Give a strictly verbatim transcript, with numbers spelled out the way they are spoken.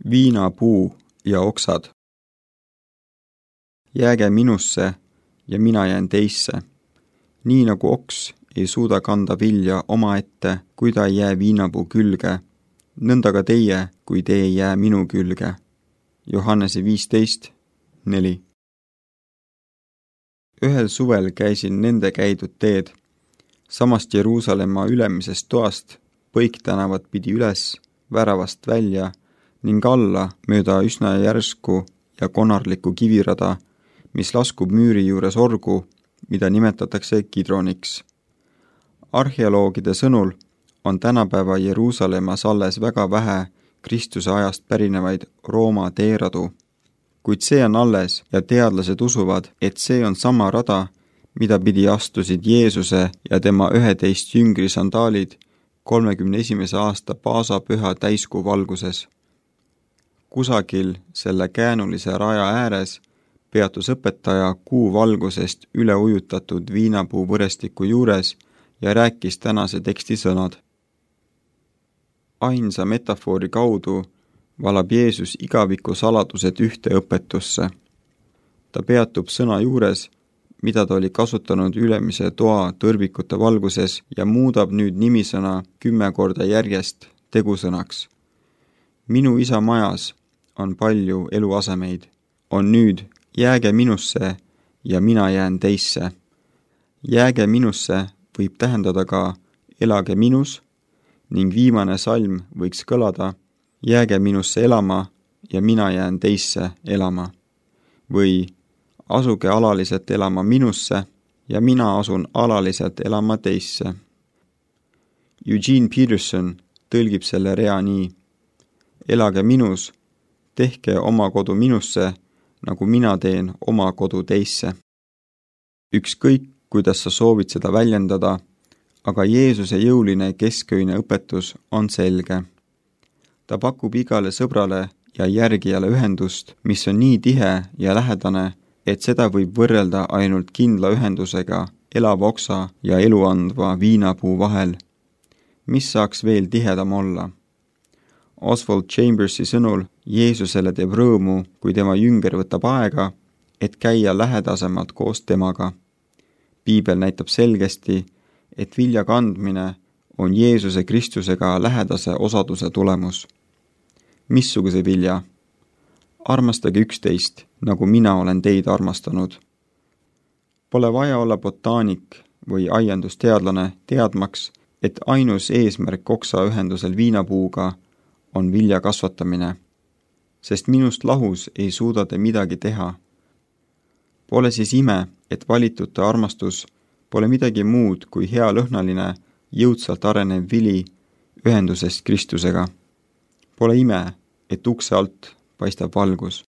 Viinapuu ja oksad. Jääge minusse ja mina jään teisse. Nii nagu oks ei suuda kanda vilja omaette, kui ta ei jää viinapuu külge, nõnda ka teie, kui te ei jää minu külge. Johannese viisteist neli. Ühel suvel käisin nende käidud teed, samast Jeruusalemma ülemisest toast Põiktänavat pidi üles, väravast välja ning alla mööda üsna järsku ja konarlikku kivirada, mis laskub müüri juures orgu, mida nimetatakse Kidroniks. Arheoloogide sõnul on tänapäeva Jeruusalemmas alles väga vähe Kristuse ajast pärinevaid Rooma teeradu, kuid see on alles ja teadlased usuvad, et see on sama rada, mida pidi astusid Jeesuse ja tema üheteist jüngri sandaalid kolmekümne esimese aasta paasapüha täiskuu valguses. Kusagil selle käänulise raja ääres peatus õpetaja kuu valgusest üle ujutatud viinapuu võrestiku juures ja rääkis tänase teksti sõnad. Ainsa metafoori kaudu valab Jeesus igaviku saladused ühte õpetusse. Ta peatub sõna juures, mida ta oli kasutanud ülemise toa tõrvikute valguses ja muudab nüüd nimisõna kümme korda järjest tegusõnaks. Minu isa majas on palju eluasemeid. On nüüd jääge minusse ja mina jään teisse. Jääge minusse võib tähendada ka elage minus ning viimane salm võiks kõlada jääge minusse elama ja mina jään teisse elama. Või asuge alaliselt elama minusse ja mina asun alaliselt elama teisse. Eugene Peterson tõlgib selle rea nii. Elage minus, tehke oma kodu minusse, nagu mina teen oma kodu teisse. Ükskõik, kuidas sa soovid seda väljendada, aga Jeesuse jõuline kesköine õpetus on selge. Ta pakub igale sõbrale ja järgijale ühendust, mis on nii tihe ja lähedane, et seda võib võrrelda ainult kindla ühendusega elava oksa ja eluandva viinapuu vahel. Mis saaks veel tihedam olla? Oswald Chambersi sõnul Jeesusele teeb rõõmu, kui tema jünger võtab aega, et käia lähedasemalt koos temaga. Piibel näitab selgesti, et vilja kandmine on Jeesuse Kristusega lähedase osaduse tulemus. Missuguse vilja? Armastage üksteist, nagu mina olen teid armastanud. Pole vaja olla botaanik või aiandusteadlane teadmaks, et ainus eesmärk oksa ühendusel viinapuuga on vilja kasvatamine, sest minust lahus ei suuda te midagi teha. Pole siis ime, et valitute armastus pole midagi muud kui hea lõhnaline, jõudsalt arenev vili ühendusest Kristusega. Pole ime, et ukse alt paistab valgus.